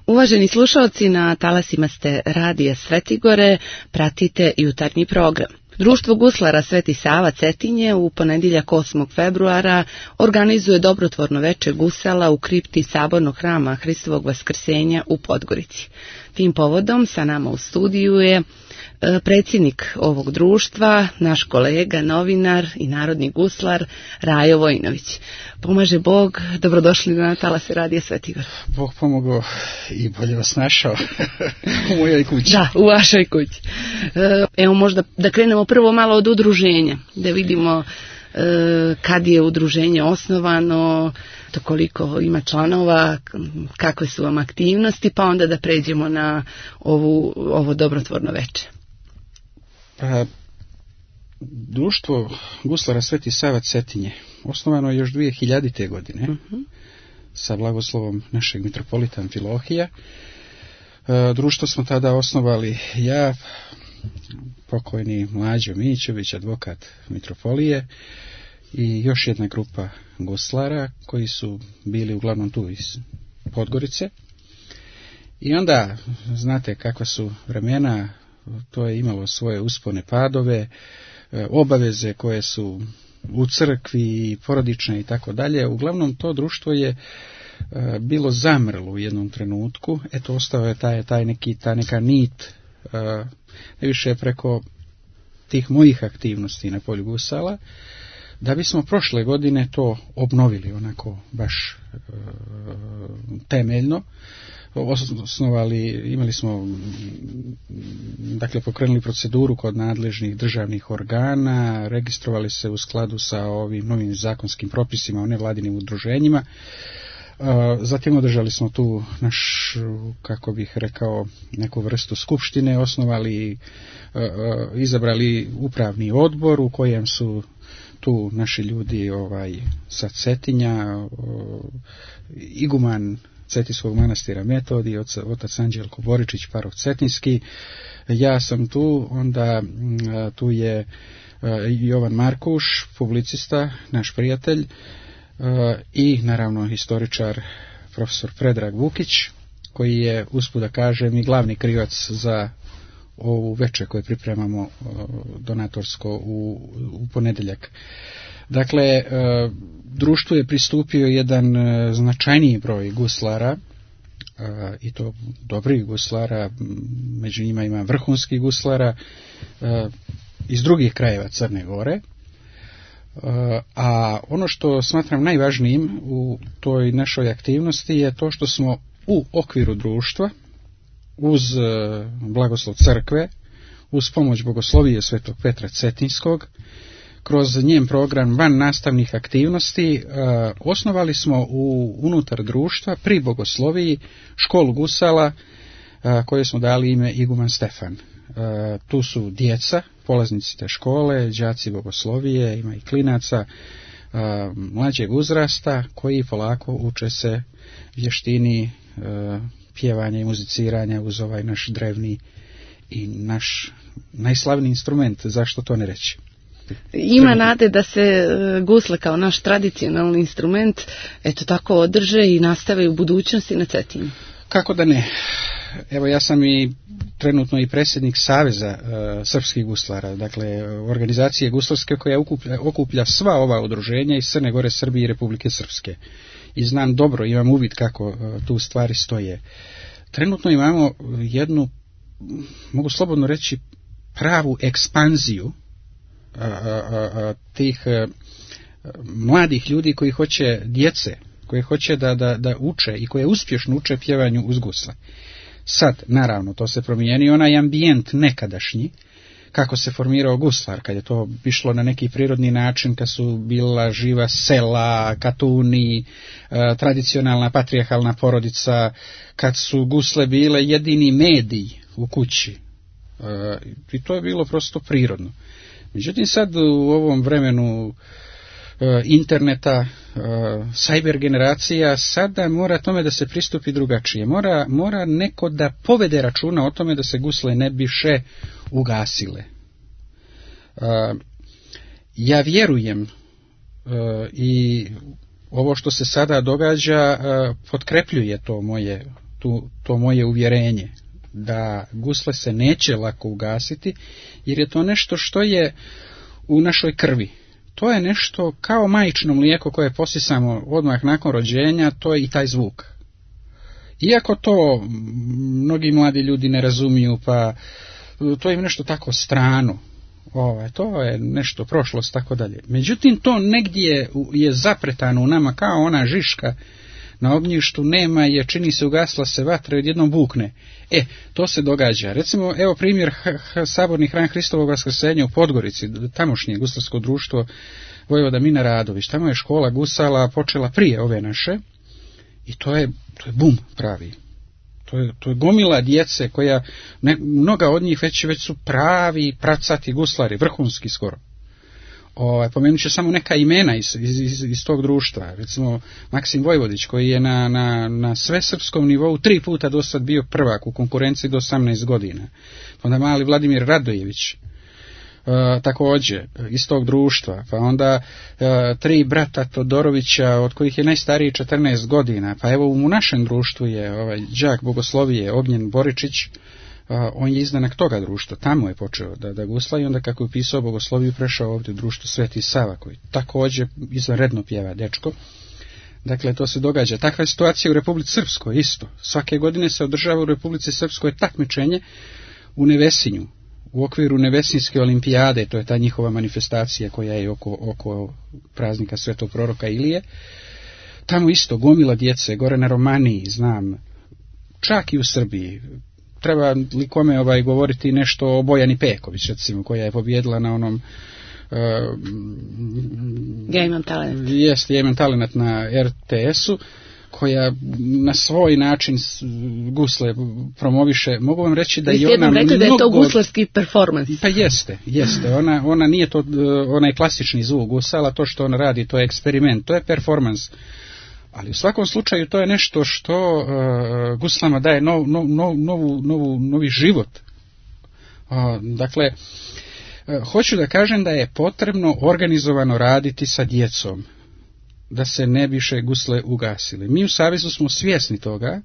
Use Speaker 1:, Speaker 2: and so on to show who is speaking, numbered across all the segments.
Speaker 1: Uvaženi slušalci, na talasima ste Radija Svetigore, pratite jutarnji program. Društvo guslara Sveti Sava Cetinje u ponedjeljak 8. februara organizuje dobrotvorno veče gusala u kripti Sabornog hrama Hristovog Vaskrsenja u Podgorici. Tim povodom sa nama u studiju je predsjednik ovog društva, naš kolega, novinar i narodni guslar Rajo Vojinović. Pomaže Bog, dobrodošli na talase Radija Svetigora.
Speaker 2: Bog pomogao i bolje vas našao u mojoj kući.
Speaker 1: Da, u vašoj kući. Evo možda da krenemo prvo malo od udruženja, da vidimo kad je udruženje osnovano, to koliko ima članova, kakve su vam aktivnosti, pa onda da pređemo na ovo dobrotvorno veče.
Speaker 2: Društvo guslara Sveti Sava Cetinje osnovano je još 2000. godine sa blagoslovom našeg mitropolita Amfilohija. Društvo smo tada osnovali ja, pokojni Mlađo Mićević, advokat mitropolije, i još jedna grupa guslara koji su bili uglavnom tu iz Podgorice. I onda, znate kakva su vremena, to je imalo svoje uspone padove, obaveze koje su u crkvi, porodične i tako dalje. Uglavnom to društvo je bilo zamrlo u jednom trenutku. Eto, ostao je ta neka nit, ne više preko tih mojih aktivnosti na polju gusala, da bismo prošle godine to obnovili onako baš temeljno. Imali smo, dakle, pokrenuli proceduru kod nadležnih državnih organa, registrovali se u skladu sa ovim novim zakonskim propisima o nevladinim udruženjima. Zatim održali smo tu kako bih rekao, neku vrstu skupštine, osnovali, izabrali upravni odbor u kojem su tu naši ljudi sa Cetinja, iguman Cetinskog manastira Metodij, otac Anđelko Boričić, paroh Cetinski, ja sam tu, onda tu je Jovan Markuš, publicista, naš prijatelj, i naravno historičar profesor Predrag Vukić, koji je, usput da kažem, i glavni krivac za ovu veče koje pripremamo donatorsko u ponedjeljak. Dakle, društvu je pristupio jedan značajniji broj guslara, i to dobrih guslara, među njima ima vrhunskih guslara iz drugih krajeva Crne Gore. A ono što smatram najvažnijim u toj našoj aktivnosti je to što smo u okviru društva, uz blagoslov crkve, uz pomoć bogoslovije Svetog Petra Cetinskog, kroz njen program van nastavnih aktivnosti, osnovali smo unutar društva pri bogosloviji školu gusala koje smo dali ime Iguman Stefan. Tu su djeca, polaznici te škole, đaci bogoslovije, ima i klinaca mlađeg uzrasta koji polako uče se vještini pjevanja i muziciranja uz ovaj naš drevni i naš najslavniji instrument, zašto to ne reći.
Speaker 1: Ima nade da se gusle kao naš tradicionalni instrument eto tako održe i nastave u budućnosti na Cetinju.
Speaker 2: Kako da ne? Evo, ja sam i trenutno i predsjednik Saveza srpskih guslara, dakle organizacije guslarske koja okuplja sva ova udruženja iz Crne Gore, Srbije i Republike Srpske. I znam dobro, imam uvid kako tu stvari stoje. Trenutno imamo jednu, mogu slobodno reći, pravu ekspanziju tih mladih ljudi koji hoće, djece, koje hoće da uče i koje uspješno uče pjevanju uz gusle. Sad, naravno, to se promijeni onaj ambijent nekadašnji, kako se formirao guslar, kad je to išlo na neki prirodni način, kad su bila živa sela, katuni, tradicionalna patrijarhalna porodica, kad su gusle bile jedini medij u kući. I to je bilo prosto prirodno. Međutim, sad u ovom vremenu interneta, cyber generacija, sada mora tome da se pristupi drugačije. Mora neko da povede računa o tome da se gusle ne bi še ugasile. Ja vjerujem i ovo što se sada događa potkrepljuje to moje to moje uvjerenje da gusle se neće lako ugasiti, jer je to nešto što je u našoj krvi. To je nešto kao majčino mlijeko koje posisamo odmah nakon rođenja, to je i taj zvuk. Iako to mnogi mladi ljudi ne razumiju, pa to je nešto tako strano, to je nešto prošlost, tako dalje. Međutim, to negdje je zapretano u nama kao ona žiška na ognjištu, nema je, čini se, ugasla se vatra i odjednom bukne. To se događa. Recimo, evo primjer saborni hram Hristovog vaskrsenja u Podgorici, tamošnje guslarsko društvo Vojvoda Mina Radović. Tamo je škola gusala počela prije ove naše i to je bum pravi. To je gomila djece koja, mnoga od njih već su pravi pracati guslari, vrhunski skoro. Pomenut ću samo neka imena iz tog društva. Recimo Maksim Vojvodić, koji je na svesrpskom nivou 3 puta do sad bio prvak u konkurenciji do 18 godina. Onda mali Vladimir Radojević, također iz tog društva. Pa onda 3 brata Todorovića, od kojih je najstariji 14 godina. Pa evo u našem društvu je đak bogoslovije Ognjen Boričić. On je izdanak toga društva, tamo je počeo da gusla i onda kako je upisao bogosloviju prešao ovdje u društvo Sveti Sava, koji također izvanredno pjeva dečko. Dakle, to se događa. Takva je situacija u Republici Srpskoj isto. Svake godine se održava u Republici Srpskoj takmičenje u Nevesinju, u okviru Nevesinjske olimpijade, to je ta njihova manifestacija koja je oko praznika Svetog proroka Ilije. Tamo isto gomila djece, gore na Romaniji, znam, čak i u Srbiji. Treba li kome govoriti nešto o Bojani Peković, recimo, koja je pobjedila na onom
Speaker 1: Ja imam talent.
Speaker 2: Ja imam talent na RTS-u, koja na svoj način gusle promoviše. Mogu vam reći da je ona
Speaker 1: rekli da je to guslarski performans.
Speaker 2: Pa jeste. Ona nije to onaj klasični zvuk gusala, to što ona radi, to je eksperiment, to je performans. Ali u svakom slučaju to je nešto što guslama daje novi život. Dakle, hoću da kažem da je potrebno organizovano raditi sa djecom, da se ne više gusle ugasile. Mi u Savezu smo svjesni toga.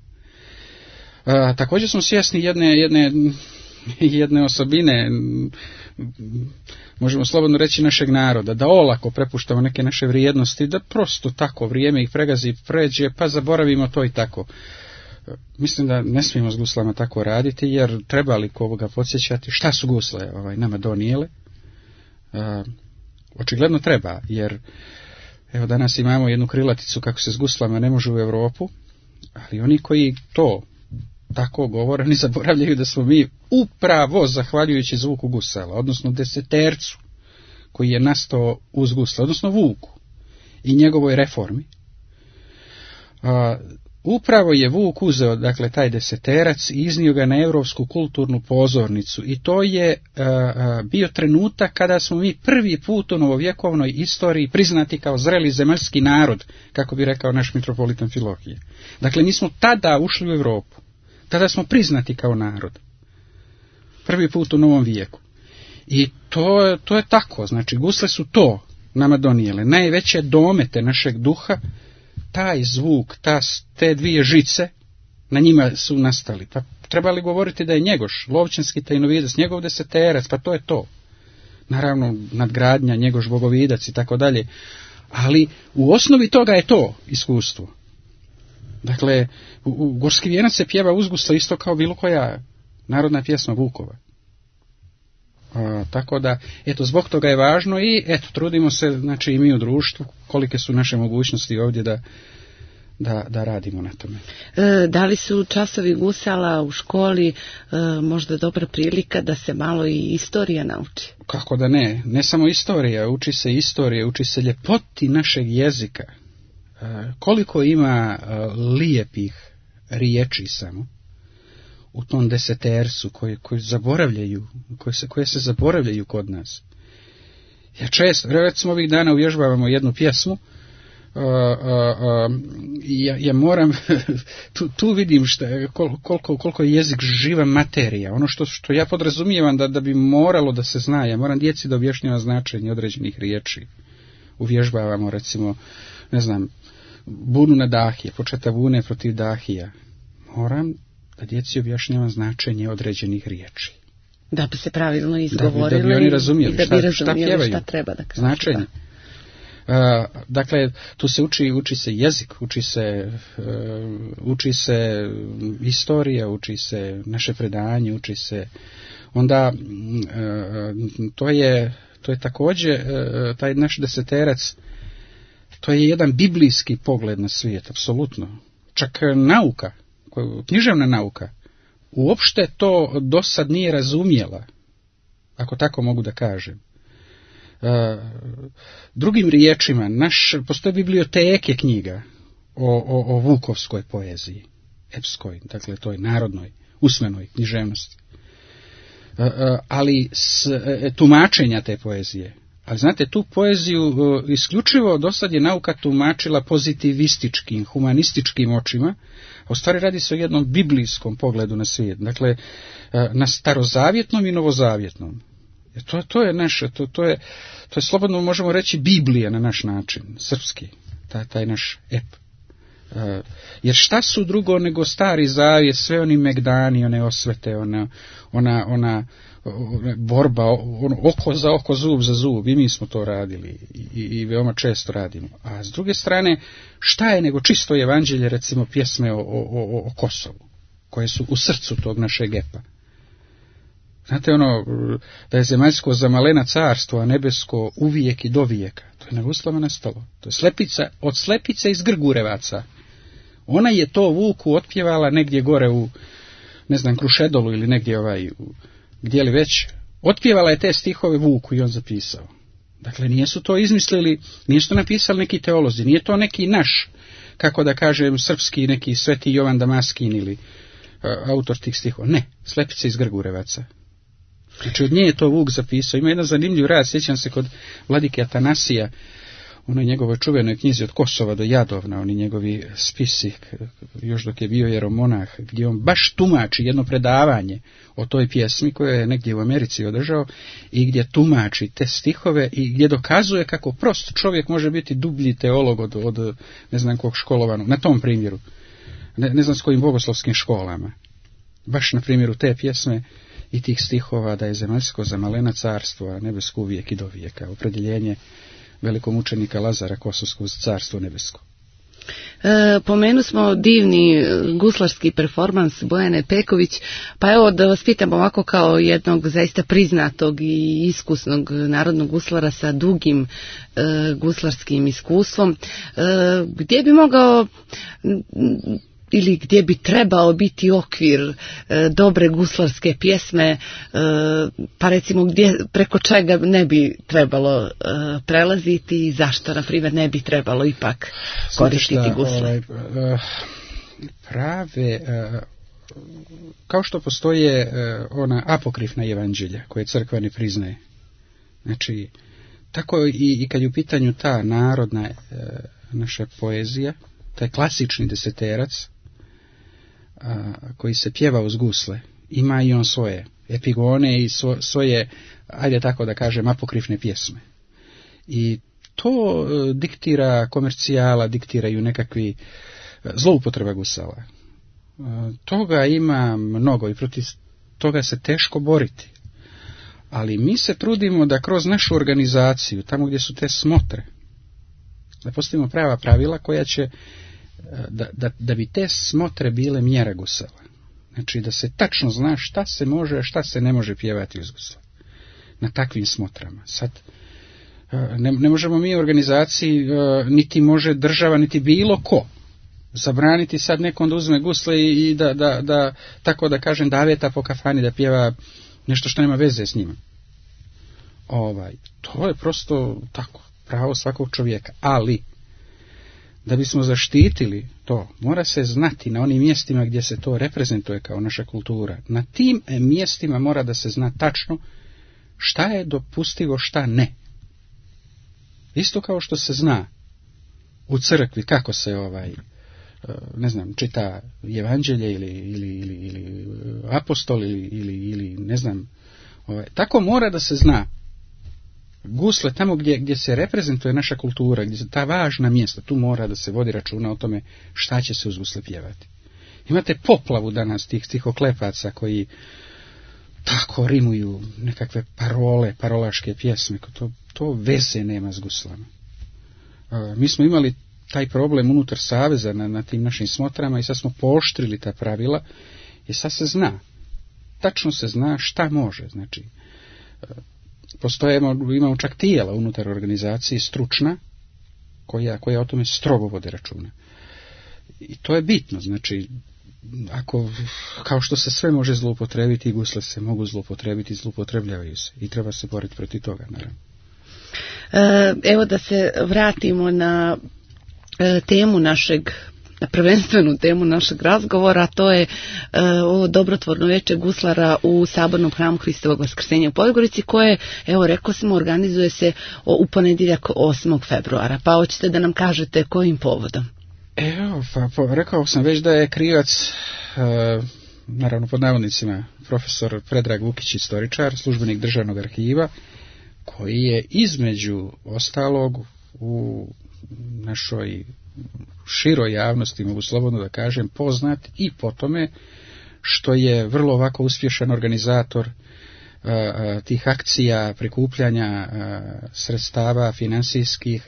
Speaker 2: Također smo svjesni jedne osobine, možemo slobodno reći, našeg naroda, da olako prepuštamo neke naše vrijednosti, da prosto tako vrijeme ih pregazi i pređe, pa zaboravimo to i tako. Mislim da ne smijemo s guslama tako raditi, jer treba li koga podsjećati šta su gusle nama donijele? Očigledno treba, jer evo danas imamo jednu krilaticu kako se s guslama ne može u Europu, ali oni koji to tako govore, oni zaboravljaju da smo mi upravo zahvaljujući zvuku gusala, odnosno desetercu koji je nastao uz gusla, odnosno Vuku i njegovoj reformi. Upravo je Vuk uzeo, dakle, taj deseterac i iznio ga na europsku kulturnu pozornicu i to je bio trenutak kada smo mi prvi put u novovjekovnoj istoriji priznati kao zreli zemaljski narod, kako bi rekao naš mitropolitan Filohije. Dakle, mi smo tada ušli u Europu, tada smo priznati kao narod. Prvi put u novom vijeku. I to je tako, znači gusle su to nama donijele, najveće domete našeg duha, taj zvuk, te dvije žice, na njima su nastali. Pa treba li govoriti da je Njegoš, Lovćanski tajnovidac, njegov deseterac, pa to je to. Naravno, nadgradnja, Njegoš bogovidac i tako dalje. Ali u osnovi toga je to iskustvo. Dakle, u Gorski vijenac se pjeva uz gusle isto kao bilo koja narodna pjesma Vukova. Tako da, eto, zbog toga je važno i eto, trudimo se, znači i mi u društvu, kolike su naše mogućnosti ovdje da radimo na tome.
Speaker 1: Da li su časovi gusala u školi možda dobra prilika da se malo i istorija nauči?
Speaker 2: Kako da ne, ne samo istorija, uči se istorija, uči se ljepoti našeg jezika. Koliko ima lijepih riječi samo u tom desetercu koji zaboravljaju, koje se zaboravljaju kod nas. Ja često, recimo ovih dana uvježbavamo jednu pjesmu, ja moram, tu vidim koliko je jezik živa materija, ono što ja podrazumijevam da bi moralo da se zna, ja moram djeci da objašnjavam značenje određenih riječi. Uvježbavamo recimo, ne znam, bunu na Dahije, početa bune protiv Dahija. moram da djeci objašnjavam značenje određenih riječi.
Speaker 1: Da bi se pravilno izgovorili
Speaker 2: da bi oni razumjeli
Speaker 1: i da bi
Speaker 2: šta pjevaju,
Speaker 1: šta treba da kažu.
Speaker 2: Značenje. Dakle, tu se uči se jezik, uči se istorija, uči se naše predanje, uči se onda to je također taj naš deseterac, to je jedan biblijski pogled na svijet, apsolutno. Čak nauka, književna nauka, uopšte to dosad nije razumjela, ako tako mogu da kažem. Drugim riječima, postoje biblioteke knjiga o vukovskoj poeziji, epskoj, dakle toj narodnoj, usmenoj književnosti. Ali tumačenja te poezije. Ali znate, tu poeziju isključivo dosad je nauka tumačila pozitivističkim, humanističkim očima, a u stvari radi se o jednom biblijskom pogledu na svijet. Dakle, na starozavjetnom i novozavjetnom. To je naše, to je slobodno možemo reći Biblija na naš način, srpski, taj naš ep. Jer šta su drugo nego stari zavjet, sve oni megdani, one osvete, ona borba, oko za oko, zub za zub, i mi smo to radili i veoma često radimo. A s druge strane, šta je nego čisto evanđelje, recimo pjesme o Kosovu, koje su u srcu tog našeg epa. Znate da je zemaljsko zamalena carstvo, a nebesko uvijek i do vijeka. To je na guslama nastalo. To je slepica, od slepice iz Grgurevaca. Ona je to Vuku otpjevala negdje gore u, ne znam, Krušedolu ili negdje gdje li već. Otpjevala je te stihove Vuku i on zapisao. Dakle, nisu to izmislili, nisu to napisali neki teolozi, nije to neki naš, kako da kažem, srpski, neki Sveti Jovan Damaskin ili autor tih stihova. Ne, slepice iz Grgurevaca. Znači, od nje je to Vuk zapisao. Ima jedan zanimljiv rad, sjećam se kod vladike Atanasija, onoj njegovoj čuvenoj knjizi od Kosova do Jadovna, oni njegovi spisi, još dok je bio jeromonah, gdje on baš tumači jedno predavanje o toj pjesmi koje je negdje u Americi održao i gdje tumači te stihove i gdje dokazuje kako prost čovjek može biti dublji teolog od ne znam kog školovanog, na tom primjeru, ne znam s kojim bogoslovskim školama. Baš na primjeru te pjesme i tih stihova da je zemaljsko zamalena carstvo, a nebesko uvijek i do vijeka, opredjeljenje velikog mučenika Lazara Kosovskog za carstvo nebesko.
Speaker 1: Pomenu smo divni guslarski performans Bojane Peković, pa evo da vas pitam ovako kao jednog zaista priznatog i iskusnog narodnog guslara sa dugim guslarskim iskustvom, gdje bi mogao ili gdje bi trebao biti okvir dobre guslarske pjesme, pa recimo preko čega ne bi trebalo prelaziti i zašto, na primjer, ne bi trebalo ipak koristiti gusle?
Speaker 2: Prave, kao što postoje ona apokrifna evanđelja koje crkva ne priznaje. Znači, tako i kad je u pitanju ta narodna naša poezija, taj klasični deseterac, koji se pjeva uz gusle, ima i on svoje epigone i svoje, ajde tako da kažem, apokrifne pjesme. I to diktira komercijala, diktiraju nekakvi zloupotreba gusala. Toga ima mnogo i protiv toga se teško boriti. Ali mi se trudimo da kroz našu organizaciju, tamo gdje su te smotre, da postavimo prava pravila koja će da bi te smotre bile mjera gusala. Znači da se tačno zna šta se može, a šta se ne može pjevati uz gusla. Na takvim smotrama. Sad, ne možemo mi u organizaciji, niti može država, niti bilo ko zabraniti sad nekom da uzme gusle i da tako da kažem, da aveta po kafani da pjeva nešto što nema veze s njima. To je prosto tako, pravo svakog čovjeka. Ali da bismo zaštitili to, mora se znati na onim mjestima gdje se to reprezentuje kao naša kultura. Na tim mjestima mora da se zna tačno šta je dopustivo, šta ne. Isto kao što se zna u crkvi kako se ne znam, čita evanđelje ili apostol ili ne znam, tako mora da se zna. Gusle, tamo gdje se reprezentuje naša kultura, gdje se ta važna mjesta, tu mora da se vodi računa o tome šta će se uz gusle pjevati. Imate poplavu danas tih stihoklepaca koji tako rimuju nekakve parole, parolaške pjesme. To veze nema s guslama. Mi smo imali taj problem unutar saveza na tim našim smotrama i sad smo pooštrili ta pravila i sad se zna. Tačno se zna šta može. Znači, imamo čak tijela unutar organizacije stručna koja o tome strogo vode računa. I to je bitno. Znači, ako, kao što se sve može zloupotrebiti, i gusle se mogu zloupotrebiti i zloupotrebljavaju se. I treba se boriti protiv toga, naravno.
Speaker 1: Evo da se vratimo na temu našeg, na prvenstvenu temu našeg razgovora, to je ovo dobrotvorno veče guslara u Sabornom hramu Hristovog Vaskrsenja u Podgorici, koje, evo rekao smo, organizuje se u ponedjeljak 8. februara. Pa hoćete da nam kažete kojim povodom?
Speaker 2: Evo, pa rekao sam već da je krivac, naravno pod navodnicima, profesor Predrag Vukić, istoričar, službenik Državnog arhiva, koji je između ostalog u našoj široj javnosti, mogu slobodno da kažem, poznat i po tome što je vrlo ovako uspješan organizator tih akcija prikupljanja sredstava financijskih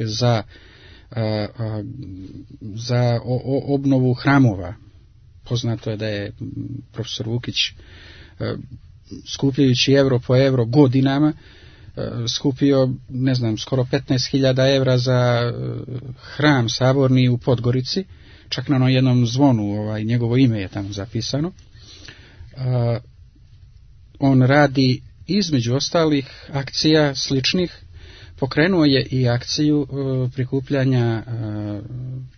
Speaker 2: za obnovu hramova. Poznato je da je profesor Vukić, skupljajući euro po euro godinama, skupio, ne znam, skoro 15.000 evra za hram Saborni u Podgorici, čak na jednom zvonu njegovo ime je tamo zapisano. On radi između ostalih akcija sličnih, pokrenuo je i akciju prikupljanja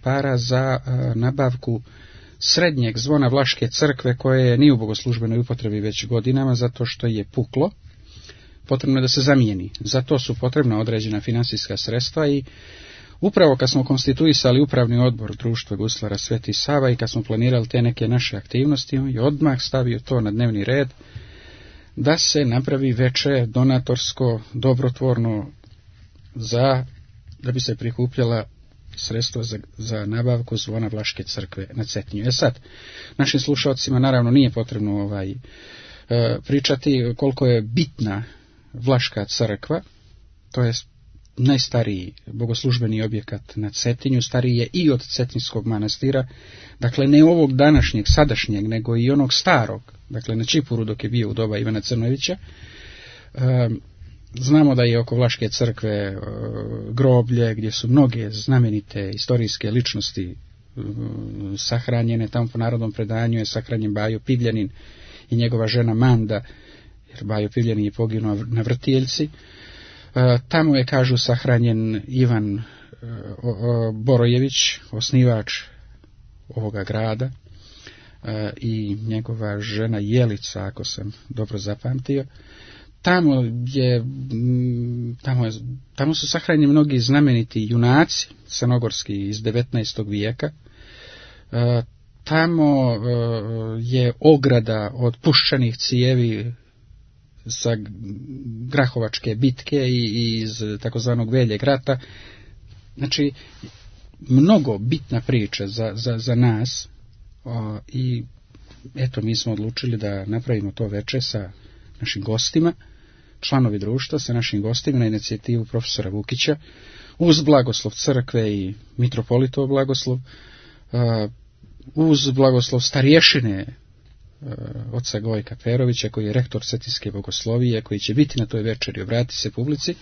Speaker 2: para za nabavku srednjeg zvona Vlaške crkve, koje nije u bogoslužbenoj upotrebi već godinama zato što je puklo. Potrebno je da se zamijeni. Za to su potrebna određena financijska sredstva i upravo kad smo konstituisali upravni odbor Društva guslara Sveti Sava i kad smo planirali te neke naše aktivnosti, on je odmah stavio to na dnevni red da se napravi veče donatorsko, dobrotvorno, da bi se prikupljala sredstva za nabavku zvona Vlaške crkve na Cetinju. Sad, našim slušalcima naravno nije potrebno pričati koliko je bitna Vlaška crkva. To je najstariji bogoslužbeni objekat na Cetinju, stariji je i od Cetinskog manastira, dakle ne ovog današnjeg, sadašnjeg, nego i onog starog, dakle na Čipuru dok je bio u doba Ivana Crnojevića. Znamo da je oko Vlaške crkve groblje gdje su mnoge znamenite istorijske ličnosti sahranjene. Tamo po narodnom predanju je sahranjen Bajo Pivljanin i njegova žena Manda, jer Bajo Pivljanin je poginuo na Vrtijeljci. Tamo je, kažu, sahranjen Ivan Borojević, osnivač ovoga grada, i njegova žena Jelica, ako sam dobro zapamtio. Tamo su sahranjeni mnogi znameniti junaci crnogorski iz 19. vijeka. Tamo je ograda od puščanih cijevi sa Grahovačke bitke i iz takozvanog Veljeg rata. Znači, mnogo bitna priča za nas, i eto, mi smo odlučili da napravimo to veče sa našim gostima, članovi društva sa našim gostima na inicijativu profesora Vukića, uz blagoslov crkve i mitropolitov blagoslov, uz blagoslov starješine oca Gojka Perovića, koji je rektor Cetinske bogoslovije, koji će biti na toj večeri, obrati se publici.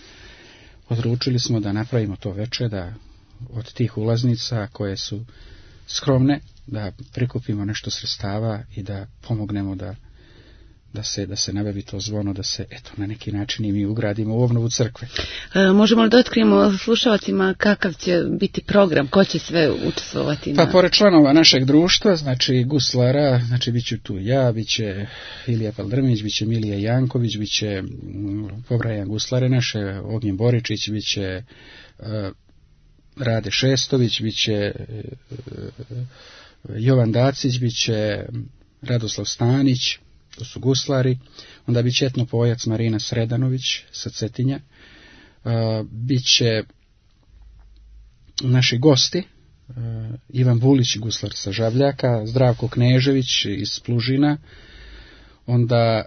Speaker 2: Odlučili smo da napravimo to veče, da od tih ulaznica koje su skromne, da prikupimo nešto sredstava i da pomognemo da se nabavi to zvono, da se na neki način i mi ugradimo u obnovu crkve.
Speaker 1: Možemo li da otkrijemo slušalcima kakav će biti program, ko će sve učestvovati?
Speaker 2: Pa pored članova našeg društva, znači guslara, znači bit ću tu ja, bit će Ilija Paldrmić, bit će Milija Janković, bit će pobrajan guslare naše, Ognjen Boričić, bit će Rade Šestović, bit će Jovan Dacić, bit će Radoslav Stanić, to su guslari, onda bit će etnopojac Marina Sredanović sa Cetinja, bit će naši gosti, Ivan Bulić, guslar sa Žabljaka, Zdravko Knežević iz Plužina, onda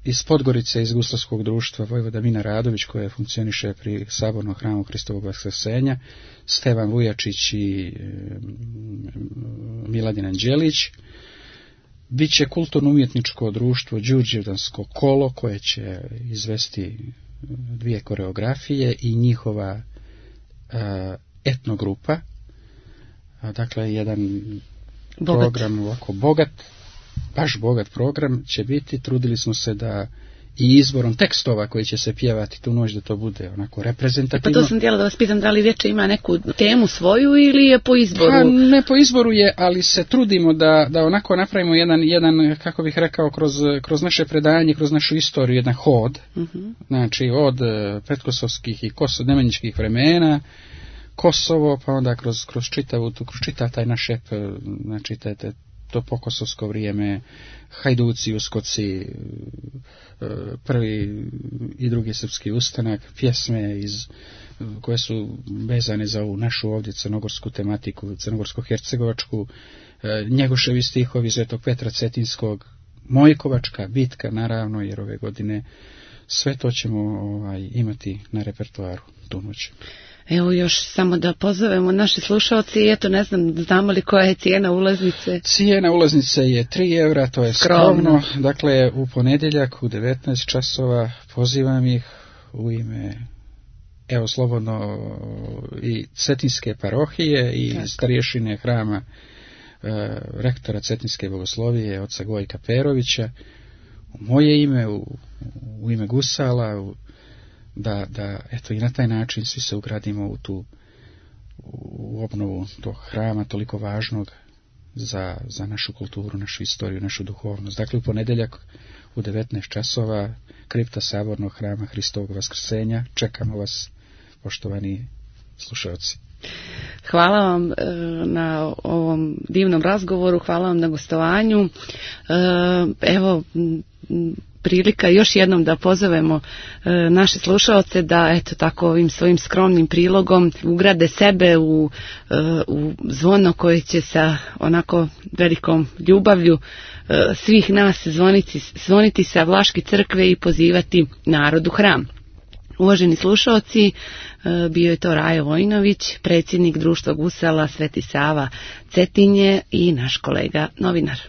Speaker 2: iz Podgorice, iz guslarskog društva Vojvoda Mina Radović, koja funkcioniše pri Sabornom hramu Hristovog Vaskrsenja, Stevan Vujačić i Miladin Anđelić. Biće kulturno-umjetničko društvo Đurđevdansko kolo, koje će izvesti 2 koreografije i njihova etnogrupa. Dakle, jedan program ovako bogat, baš bogat program će biti. Trudili smo se da i izborom tekstova koji će se pjevati tu noć da to bude onako reprezentativno.
Speaker 1: Pa to sam htjela da vas pitam, da li večer ima neku temu svoju ili je po izboru?
Speaker 2: Pa ne po izboru je, ali se trudimo da onako napravimo jedan kako bih rekao, kroz naše predanje, kroz našu istoriju, jedan hod. Znači od pretkosovskih i nemanjičkih vremena, Kosovo, pa onda kroz čitav taj naš ep, znači to pokosovsko vrijeme, Hajduci, Uskoci, prvi i drugi srpski ustanak, pjesme koje su vezane za ovu našu ovdje crnogorsku tematiku, crnogorsko-hercegovačku, Njegoševi stihovi Svetog Petra Cetinskog, Mojkovačka bitka, naravno, jer ove godine sve to ćemo imati na repertoaru tu noć.
Speaker 1: Evo još samo da pozovemo naše slušalci, eto ne znam, znamo li koja je cijena ulaznice?
Speaker 2: Cijena ulaznice je 3 evra, to je skromno. Dakle, u ponedjeljak u 19 časova pozivam ih u ime, evo slobodno, i Cetinske parohije i starješine hrama rektora Cetinske bogoslovije, oca Gojka Perovića, u moje ime, u ime Gusala, da eto i na taj način svi se ugradimo u obnovu tog hrama toliko važnog za našu kulturu, našu istoriju, našu duhovnost. Dakle, u ponedjeljak u 19 časova kripta Sabornog hrama Hristovog Vaskrsenja. Čekamo vas, poštovani slušalci.
Speaker 1: Hvala vam na ovom divnom razgovoru, hvala vam na gostovanju. Evo, prilika još jednom da pozovemo naše slušaoce da eto tako ovim svojim skromnim prilogom ugrade sebe u zvono koje će sa onako velikom ljubavlju svih nas zvoniti sa Vlaške crkve i pozivati narod u hram. Uvaženi slušaoci, bio je to Rajo Vojinović, predsjednik Društva Gusala Sveti Sava Cetinje i naš kolega novinar.